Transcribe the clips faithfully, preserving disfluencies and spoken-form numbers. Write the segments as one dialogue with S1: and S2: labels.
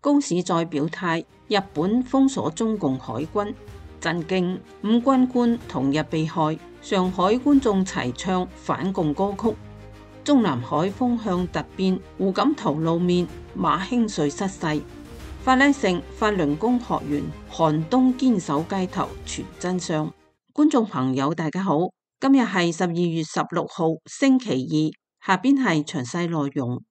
S1: 高市再表態，日本封鎖中共海軍，震驚五軍官同日被害，上海觀眾齊唱反共歌曲。中南海風向突變，胡錦濤露面，馬興瑞失勢。法拉盛法輪功學員寒冬堅守街頭傳真相。觀眾朋友大家好，今日係十二月十六號星期二，下邊係詳細內容。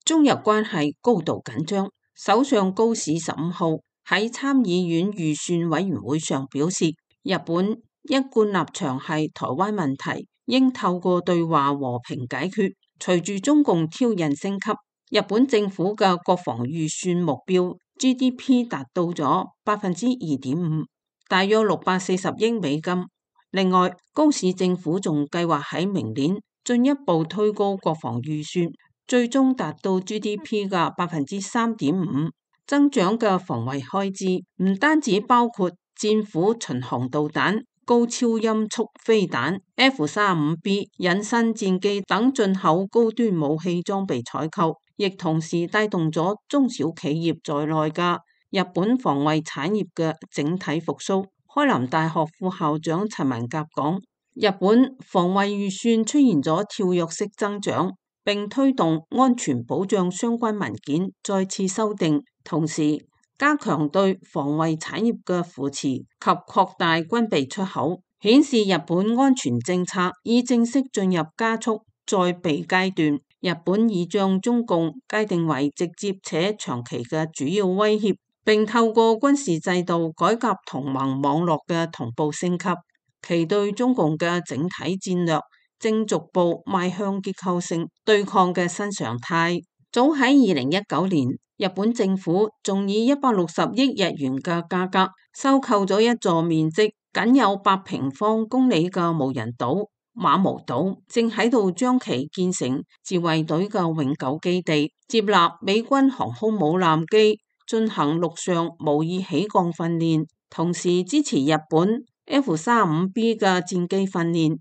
S1: 中日關係高度緊張，首相高市十五號喺參議院預算委員會上表示，日本一貫立場係台灣問題應透過對話和平解決。隨住中共挑釁升級，日本政府嘅國防預算目標 G D P 達到咗百分之二點五，大約六百四十億美金。另外，高市政府仲計劃喺明年進一步推高國防預算，最終達到 G D P 嘅百分之三點五。增長嘅防衛開支唔單止包括戰斧巡航導彈、高超音速飛彈、F 三十五 B 隱身戰機等進口高端武器裝備採購，亦同時帶動咗中小企業在內嘅日本防衛產業嘅整體復甦。開南大學副校長陳文甲講，日本防衛預算出現咗跳躍式增長，並推動安全保障相關文件再次修訂，同時加強對防衛產業嘅扶持及擴大軍備出口，顯示日本安全政策已正式進入加速再備階段。日本已將中共界定為直接且長期嘅主要威脅，並透過軍事制度改革同盟網絡嘅同步升級，其對中共嘅整體戰略正逐步邁向結構性對抗嘅新常態。早喺二零一九年，日本政府仲以一百六十億日元嘅價格收購咗一座面積僅有八平方公里嘅無人島馬毛島，正喺度將其建成自衛隊嘅永久基地，接納美軍航空母艦機進行陸上模擬起降訓練，同時支持日本 F 三十五 B 嘅戰機訓練。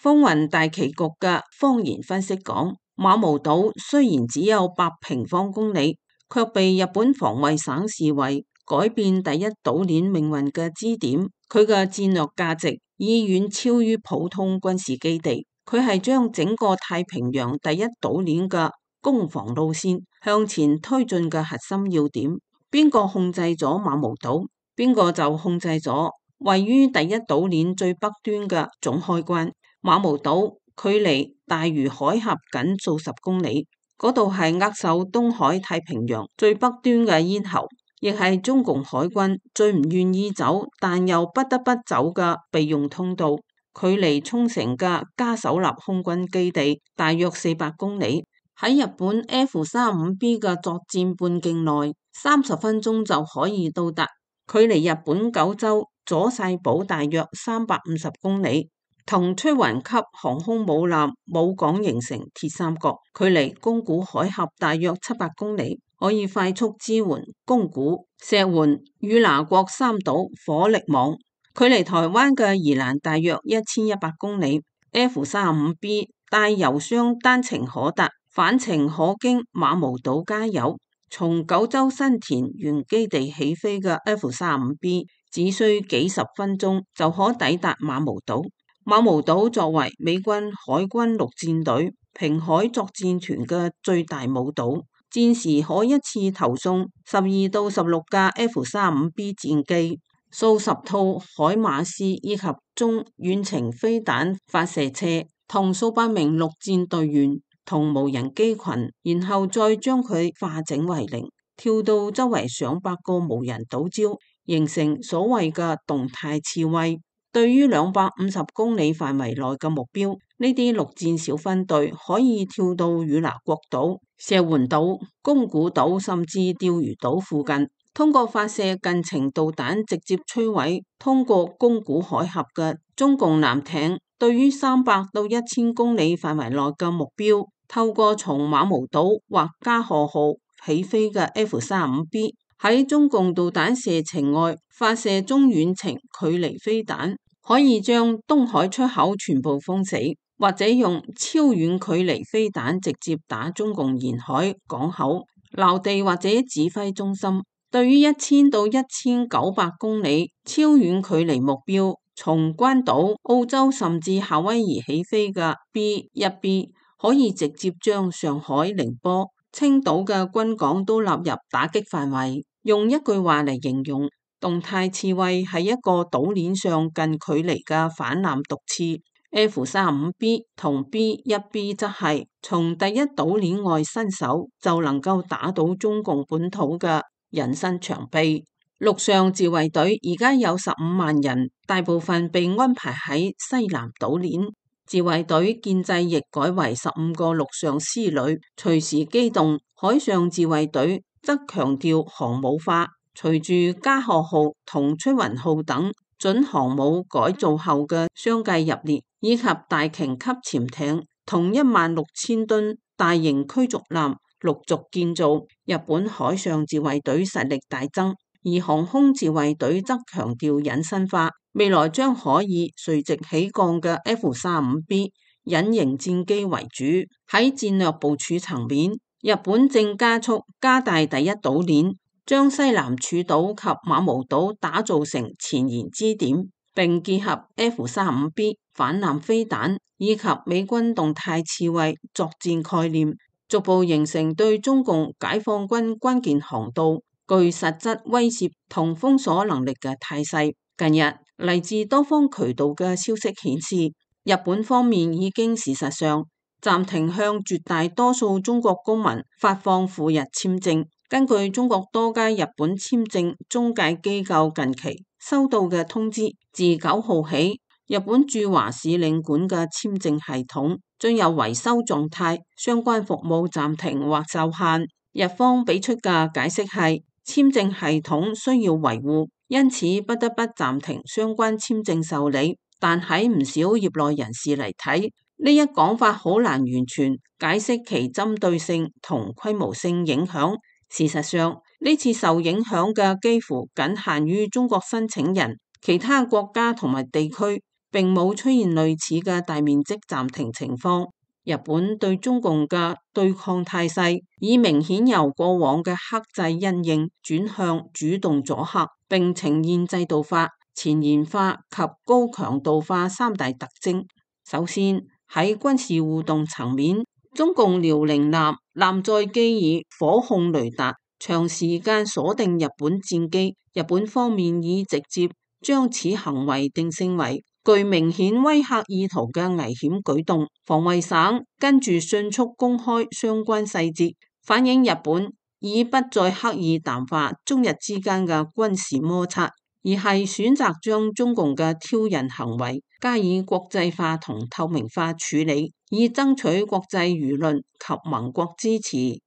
S1: 風雲大棋局嘅方言分析講，馬毛島雖然只有八平方公里，卻被日本防衛省視為改變第一島鏈命運嘅支點。佢嘅戰略價值已遠超於普通軍事基地，佢係將整個太平洋第一島鏈嘅攻防路線向前推進嘅核心要點。邊個控制咗馬毛島，邊個就控制咗位於第一島鏈最北端嘅總開關。馬毛島距離大隅海峽僅數十公里，嗰度係扼守東海太平洋最北端嘅咽喉，亦係中共海軍最唔願意走但又不得不走嘅備用通道。距離沖繩嘅嘉手納空軍基地大約四百公里，喺日本 F 三十五 B 嘅作戰半徑內，三十分鐘就可以到達。距離日本九州佐世保大約三百五十公里。同吹雲級航空母艦母港形成鐵三角，距離宮古海峽大約七百公里，可以快速支援宮古、石垣、與那國三島火力網。距離台灣嘅宜蘭大約一千一百公里。F 三十五 B 帶油箱單程可達，返程可經馬毛島加油。從九州新田原基地起飛嘅 F 三十五 B 只需幾十分鐘就可抵達馬毛島。馬毛島作為美軍海軍陸戰隊平海作戰團嘅最大母島，戰時可一次投送十二到十六架 F 三十五 B 戰機、數十套海馬斯以及中遠程飛彈發射車，同數百名陸戰隊員同無人機群，然後再將佢化整為零，跳到周圍上百個無人島礁，形成所謂嘅動態刺蝟。對於兩百五十公里範圍內嘅目標，呢啲陸戰小分隊可以跳到與那國島、石垣島、宮古島甚至釣魚島附近，通過發射近程導彈直接摧毀通過宮古海峽嘅中共艦艇。對於三百到一千公里範圍內嘅目標，透過從馬毛島或加賀號起飛嘅 F 三十五 B 喺中共導彈射程外發射中遠程距離飛彈，可以將東海出口全部封死。或者用超遠距離飛彈直接打中共沿海港口、撈地或者指揮中心。對於一千到一千九百公里超遠距離目標，從關島、澳洲甚至夏威夷起飛嘅 B 一 B 可以直接將上海、寧波、青島嘅軍港都納入打擊範圍。用一句話嚟形容，動態刺蝟係一個島鏈上近距離嘅反艦毒刺。F 三十五 B 同 B 一 B 則係從第一島鏈外伸手就能夠打倒中共本土嘅人身長臂。陸上自衛隊而家有十五萬人，大部分被安排喺西南島鏈。自衛隊建制亦改為十五個陸上師旅，隨時機動。海上自衛隊則強調航母化，隨住加賀號同出雲號等準航母改造後嘅相繼入列，以及大鯨級潛艇同一萬六千噸大型驅逐艦陸續建造，日本海上自衛隊實力大增，而航空自衛隊則強調隱身化，未來將可以垂直起降嘅 F 三十五 B 隱形戰機為主。喺戰略部署層面，日本正加速加大第一島鏈，將西南諸島及馬毛島打造成前沿支點，並結合 F 三十五 B 反艦飛彈以及美軍動態刺蝟作戰概念，逐步形成對中共解放軍關鍵航道具實質威懾同封鎖能力嘅態勢。近日嚟自多方渠道嘅消息顯示，日本方面已經事實上暫停向絕大多數中國公民發放赴日簽證。根據中國多家日本簽證中介機構近期收到嘅通知，自九號起，日本駐華使領館嘅簽證系統進入維修狀態，相關服務暫停或受限。日方俾出嘅解釋係，簽證系統需要維護，因此不得不暫停相關簽證受理。但喺唔少業內人士嚟睇，呢一講法好難完全解釋其針對性同規模性影響。事實上，呢次受影響嘅幾乎僅限於中國申請人，其他國家同埋地區並冇出現類似嘅大面積暫停情況。日本對中共嘅對抗態勢已明顯由過往嘅克制因應轉向主動阻嚇，並呈現制度化、前沿化及高強度化三大特徵。首先，喺軍事互動層面，中共遼寧艦艦載機以火控雷達長時間鎖定日本戰機，日本方面已直接將此行為定性為具明顯威嚇意圖嘅危險舉動。防衛省跟住迅速公開相關細節，反映日本已不再刻意淡化中日之間嘅軍事摩擦，而係選擇將中共嘅挑釁行為加以國際化同透明化處理，以爭取國際輿論及盟國支持。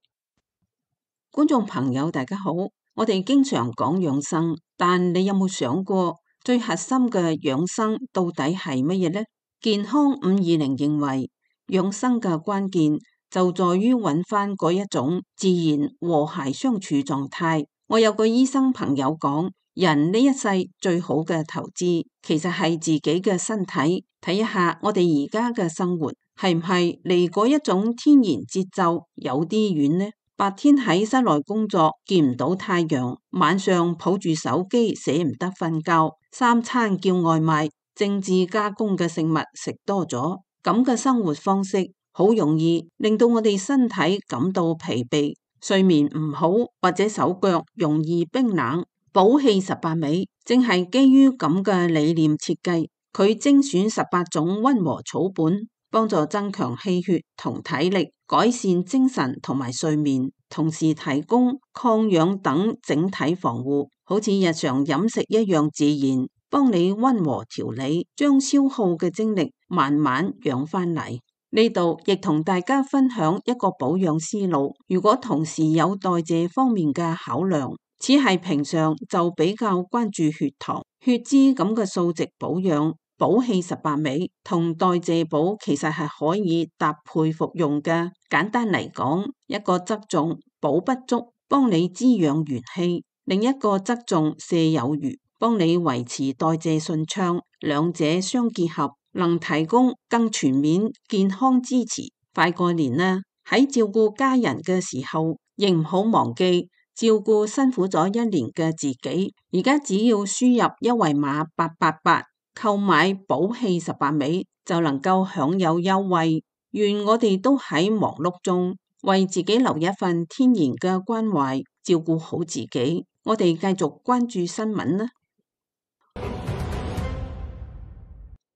S1: 觀眾朋友大家好，我哋經常講養生，但你有冇想過最核心嘅養生到底係乜嘢呢？健康五二零認為，養生嘅關鍵就在於揾翻嗰一種自然和諧相處狀態。我有個醫生朋友講，人呢一世最好嘅投資其實係自己嘅身體。睇一下我哋而家嘅生活係唔係離嗰一種天然節奏有啲遠呢？白天喺室內工作見唔到太陽，晚上抱住手機捨唔得瞓覺，三餐叫外賣，精緻加工嘅食物食多咗，咁嘅生活方式好容易令到我哋身體感到疲憊，睡眠唔好或者手腳容易冰冷。寶氣十八味正係基於咁嘅理念設計，佢精選十八種溫和草本，幫助增強氣血同體力，改善精神同埋睡眠，同時提供抗氧等整體防護，好似日常飲食一樣自然，幫你溫和調理，將消耗嘅精力慢慢養翻嚟。呢度亦同大家分享一個保養思路，如果同時有代謝方面嘅考量，只係平常就比較關注血糖、血脂咁嘅數值保養，寶氣十八味同代謝寶其實係可以搭配服用嘅。簡單嚟講，一個側重補不足，幫你滋養元氣；另一個側重瀉有餘，幫你維持代謝順暢。兩者相結合，能提供更全面健康支持。快過年啦，喺照顧家人嘅時候，亦唔好忘記照顧辛苦咗一年嘅自己。而家只要輸入一維碼八八八，購買寶氣十八味就能夠享有優惠。願我哋都喺忙碌中為自己留一份天然嘅關懷，照顧好自己。我哋繼續關注新聞啦。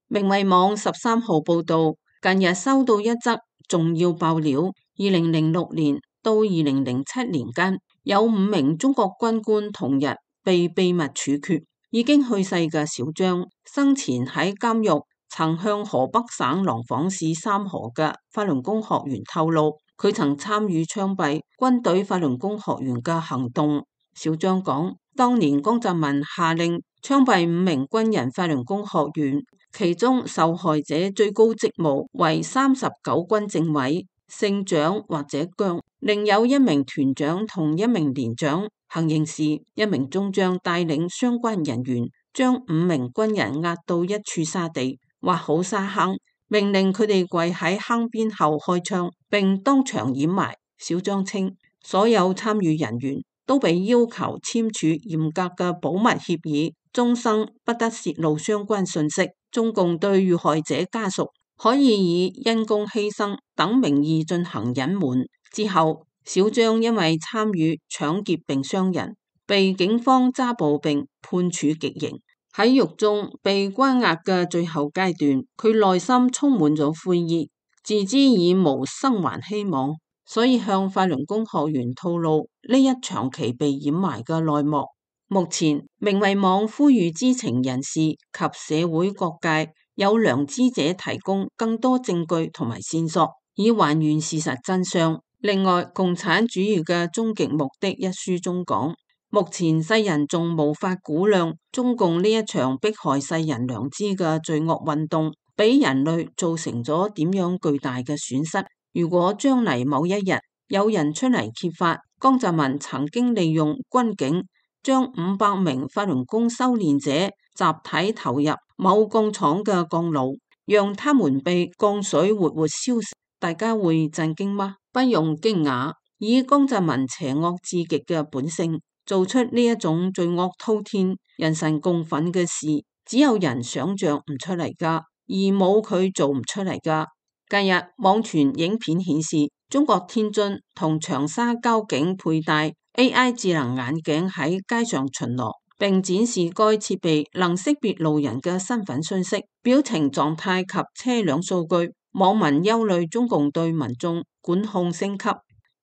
S1: 明慧網十三號報道，近日收到一則重要爆料：二零零六年到二零零七年間，有五名中國軍官同日被秘密處決。已經去世嘅小張，生前喺監獄曾向河北省廊坊市三河嘅法輪功學員透露，佢曾參與槍斃軍隊法輪功學員嘅行動。小張講，當年江澤民下令槍斃五名軍人法輪功學員，其中受害者最高職務為三十九軍政委，姓蔣或者姜，另有一名團長同一名連長。行刑時，一名中將帶領相關人員將五名軍人押到一處沙地，挖好沙坑，命令佢哋跪喺坑邊後開槍，並當場掩埋。小張稱，所有參與人員都被要求簽署嚴格嘅保密協議，終生不得泄露相關信息。中共對遇害者家屬可以以因公犧牲等名義進行隱瞞。之後，小張因為參與搶劫並傷人，被警方抓捕並判處極刑。喺獄中被關押嘅最後階段，佢內心充滿咗悔意，自知已無生還希望，所以向法輪功學員透露呢一長期被掩埋嘅內幕。目前，明慧網呼籲知情人士及社會各界有良知者提供更多證據同埋線索，以還原事實真相。另外，《共產主義嘅終極目的》一書中講，目前世人仲無法估量中共呢一場迫害世人良知嘅罪惡運動，俾人類造成咗點樣巨大嘅損失。如果將嚟某一日有人出嚟揭發江澤民曾經利用軍警將五百名法輪功修煉者集體投入某鋼廠嘅鋼爐，讓他們被鋼水活活燒死，大家會震驚嗎？不用驚訝，以江澤民邪惡至極嘅本性，做出呢一種罪惡滔天、人神共憤嘅事，只有人想象唔出嚟噶，而冇佢做唔出嚟噶。近日網傳影片顯示，中國天津同長沙交警佩戴 A I 智能眼鏡喺街上巡邏，並展示該設備能識別路人嘅身份信息、表情狀態及車輛數據。網民憂慮中共對民眾管控升級。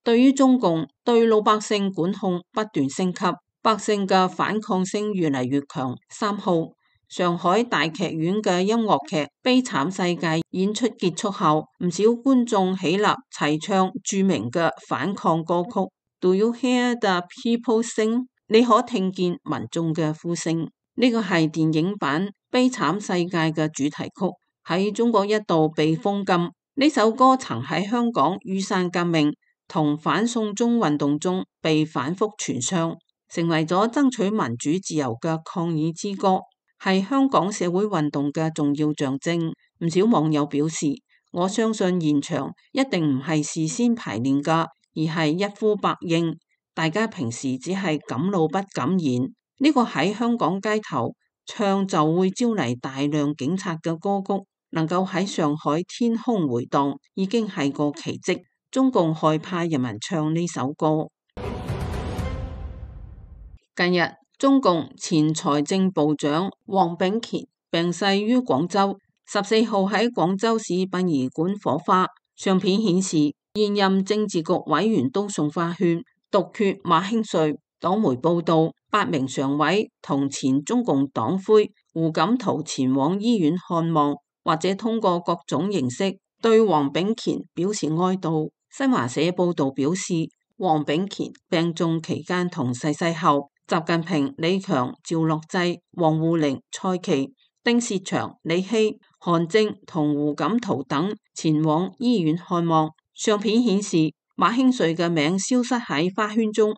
S1: 對於中共對老百姓管控不斷升級，百姓嘅反抗聲越嚟越強。三號，上海大劇院嘅音樂劇《悲慘世界》演出結束後，唔少觀眾起立齊唱著名嘅反抗歌曲。Do you hear the people sing？ 你可聽見民眾嘅呼聲。呢個係電影版《悲慘世界》嘅主題曲。喺中國一度被封禁，呢首歌曾喺香港雨傘革命同反送中運動中被反覆傳唱，成為咗爭取民主自由嘅抗議之歌，係香港社會運動嘅重要象徵。唔少網友表示，我相信現場一定唔係事先排練㗎，而係一呼百應，大家平時只係敢怒不敢言。呢個喺香港街頭唱就會招嚟大量警察嘅歌曲，能夠喺上海天空回盪，已經係個奇蹟。中共害怕人民唱呢首歌。近日，中共前財政部長黃炳乾病逝於廣州，十四號喺廣州市殯儀館火化。相片顯示，現任政治局委員都送花圈，獨缺馬興瑞。黨媒報道，八名常委同前中共黨魁胡錦濤前往醫院看望，或者通過各種形式對黃炳乾表示哀悼。新華社報道表示，黃炳乾病重期間同逝世後，習近平、李強、趙樂際、王滬寧、蔡奇、丁薛祥、李希、韓正同胡錦濤等前往醫院看望。相片顯示，馬興瑞嘅名消失喺花圈中。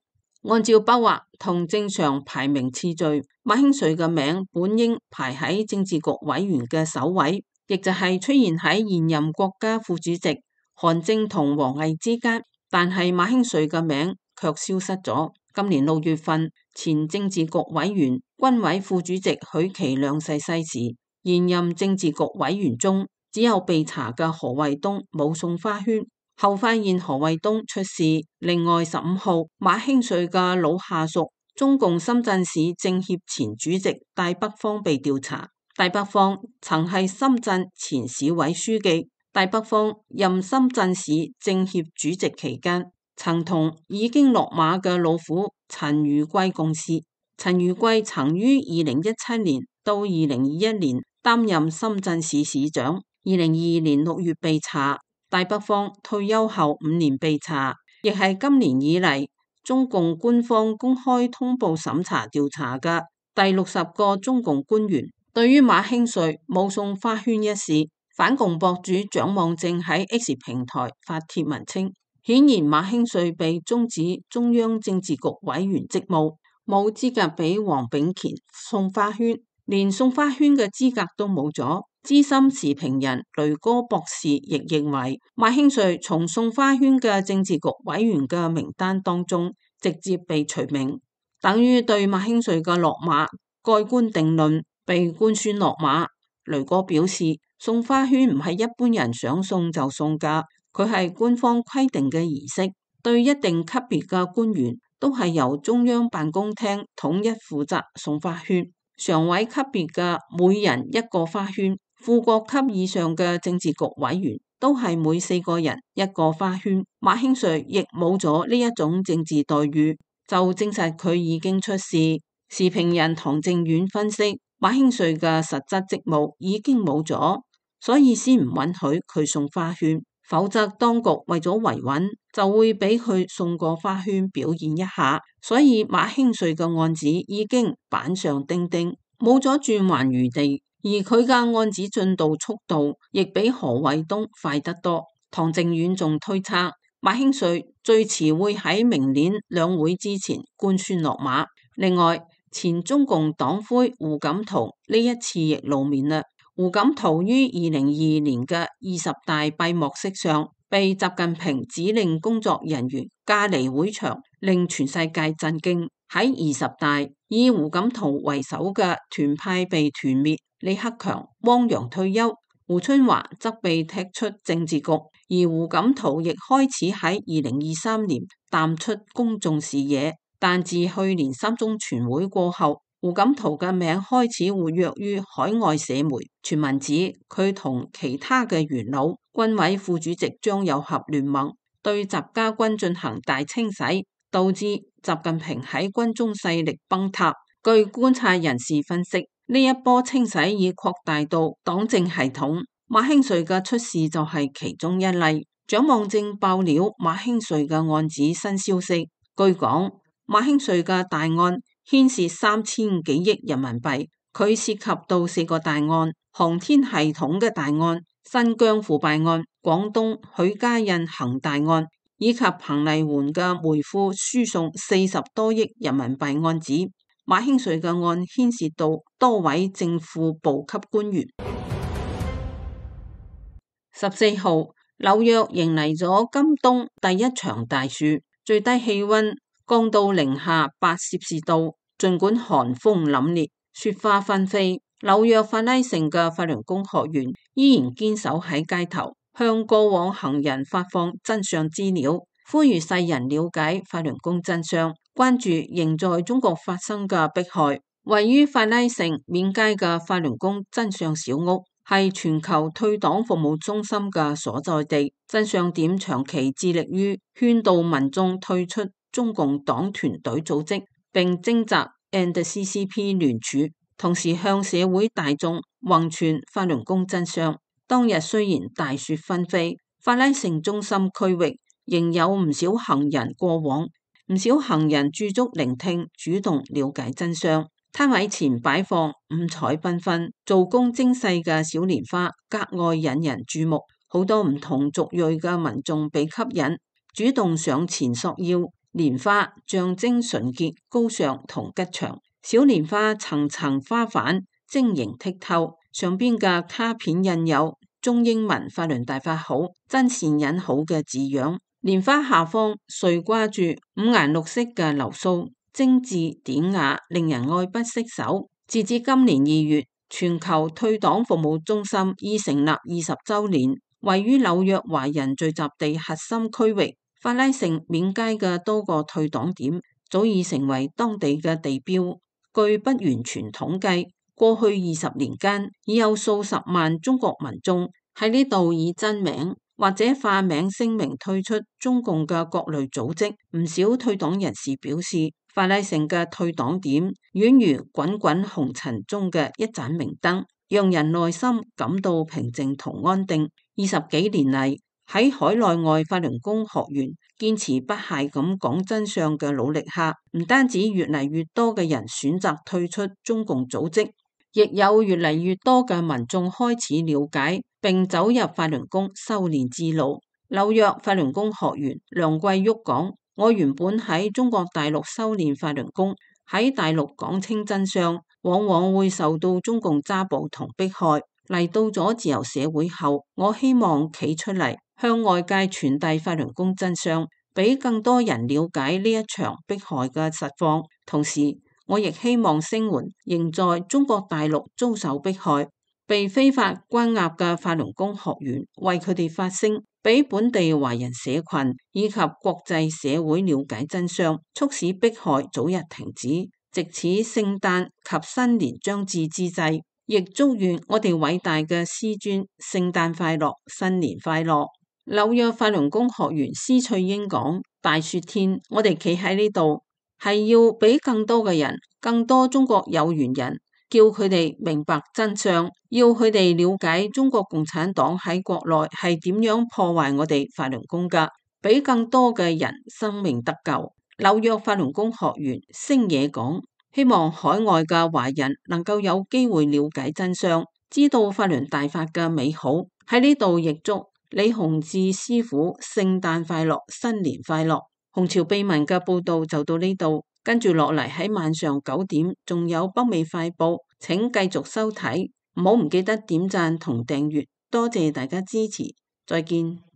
S1: 按照筆畫同正常排名次序，馬興瑞嘅名本應排喺政治局委員嘅首位，亦就係出現喺現任國家副主席韓正同王毅之間，但係馬興瑞嘅名卻消失咗。今年六月份，前政治局委員、軍委副主席許其亮逝世時，現任政治局委員中只有被查嘅何衛東冇送花圈。後發現何衛東出事。另外十五號，馬興瑞嘅老下屬中共深圳市政協前主席戴北方被調查。戴北方曾係深圳前市委書記。戴北方任深圳市政協主席期間，曾同已經落馬嘅老虎陳如貴共事。陳如貴曾於二零一七年到二零二一年擔任深圳市市長。二零二二年六月被查。戴北方退休後五年被查，亦係今年以嚟中共官方公開通報審查調查嘅第六十個中共官員。對於馬興瑞冇送花圈一事，反共博主蔣望正喺 X 平台發帖文稱，顯然馬興瑞被終止中央政治局委員職務，冇資格俾黃炳乾送花圈，連送花圈嘅資格都冇咗。資深時評人雷哥博士亦認為，馬興瑞從送花圈嘅政治局委員嘅名單當中直接被除名，等於對馬興瑞嘅落馬蓋棺定論，被官宣落馬。雷哥表示，送花圈唔係一般人想送就送㗎，佢係官方規定嘅儀式，對一定級別嘅官員都係由中央辦公廳統一負責送花圈，常委級別嘅每人一個花圈。副國級以上嘅政治局委員都係每四個人一個花圈，馬興瑞亦冇咗呢一種政治待遇，就證實佢已經出事。時評人唐正遠分析，馬興瑞嘅實質職務已經冇咗，所以先唔允許佢送花圈，否則當局為咗維穩就會俾佢送個花圈表現一下。所以馬興瑞嘅案子已經板上釘釘，冇咗轉圜餘地。而佢嘅案子進度速度亦比何衛東快得多。唐正遠仲推測，馬興瑞最遲會喺明年兩會之前官宣落馬。另外，前中共黨魁胡錦濤呢一次亦露面啦。胡錦濤於二零二二年嘅二十大閉幕式上，被習近平指令工作人員架離會場，令全世界震驚。喺二十大，以胡錦濤為首嘅團派被團滅。李克強、汪洋退休，胡春華則被踢出政治局，而胡錦濤亦開始喺二零二三年淡出公眾視野。但自去年三中全會過後，胡錦濤嘅名開始活躍於海外社媒，傳聞指佢同其他嘅元老、軍委副主席張又俠聯盟，對習家軍進行大清洗，導致習近平喺軍中勢力崩塌。據觀察人士分析，呢一波清洗已擴大到黨政系統，馬興瑞嘅出事就係其中一例。蔣望正爆料馬興瑞嘅案子新消息，據講馬興瑞嘅大案牽涉三千幾億人民幣，佢涉及到四個大案：航天系統嘅大案、新疆腐敗案、廣東許家印恒大案，以及彭麗媛嘅煤庫輸送四十多億人民幣案子。馬興瑞嘅案牽涉到多位政府部級官員。十四號，紐約迎嚟咗今冬第一場大雪，最低氣溫降到零下八攝氏度，盡管寒風凜冽，雪花紛飛。紐約法拉盛嘅法輪功學員依然堅守喺街頭，向過往行人發放真相資料，呼籲世人了解法輪功真相，關注仍在中國發生嘅迫害。位於法拉盛緬街嘅法輪功真相小屋係全球退黨服務中心嘅所在地。真相點長期致力於勸導民眾退出中共黨團隊組織，並徵集 N C C P 聯署，同時向社會大眾弘傳法輪功真相。當日雖然大雪紛飛，法拉盛中心區域仍有唔少行人過往。唔少行人駐足聆聽，主動了解真相。攤位前擺放五彩繽紛、做工精細嘅小蓮花，格外引人注目。好多唔同族裔嘅民眾被吸引，主動上前索要蓮花，象徵純潔、高尚同吉祥。小蓮花層層花瓣晶瑩剔透，上邊嘅卡片印有中英文法輪大法好，真善忍好嘅字樣。蓮花下方垂掛住五顏六色嘅流蘇，精緻典雅，令人愛不釋手。截至今年二月，全球退黨服務中心已成立二十週年。位於紐約華人聚集地核心區域，法拉盛免街嘅多個退黨點早已成為當地嘅地標。據不完全統計，過去二十年間已有數十萬中國民眾喺呢度以真名或者化名聲明退出中共嘅各類組織。唔少退黨人士表示，法拉盛嘅退黨點宛如滾滾紅塵中嘅一盞明燈，讓人內心感到平靜同安定。二十幾年嚟，喺海內外法輪功學員堅持不懈咁講真相嘅努力下，唔單止越嚟越多嘅人選擇退出中共組織，亦有越嚟越多嘅民眾開始了解並走入法輪功修煉之路。紐約法輪功學員梁桂玉講：我原本喺中國大陸修煉法輪功，喺大陸講清真相，往往會受到中共揸捕同迫害。嚟到咗自由社會後，我希望企出嚟向外界傳遞法輪功真相，俾更多人了解呢一場迫害嘅實況。同時，我亦希望聲援仍在中國大陸遭受迫害、被非法關押嘅法輪功學員，為佢哋發聲，俾本地華人社群以及國際社會了解真相，促使迫害早日停止。藉此聖誕及新年將至之際，亦祝願我哋偉大嘅師尊聖誕快樂，新年快樂。紐約法輪功學員施翠英講：大雪天，我哋企喺呢度，係要俾更多嘅人，更多中國有緣人，叫佢哋明白真相，要佢哋了解中國共產黨喺國內係點樣破壞我哋法輪功噶，俾更多嘅人生命得救。紐約法輪功學員星野講：希望海外嘅華人能夠有機會了解真相，知道法輪大法嘅美好。喺呢度亦祝李洪志師傅聖誕快樂，新年快樂。紅潮秘聞嘅報道就到呢度，跟住落嚟喺晚上九點仲有北美快報，請繼續收睇，唔好唔記得點讚同訂閱，多謝大家支持，再見。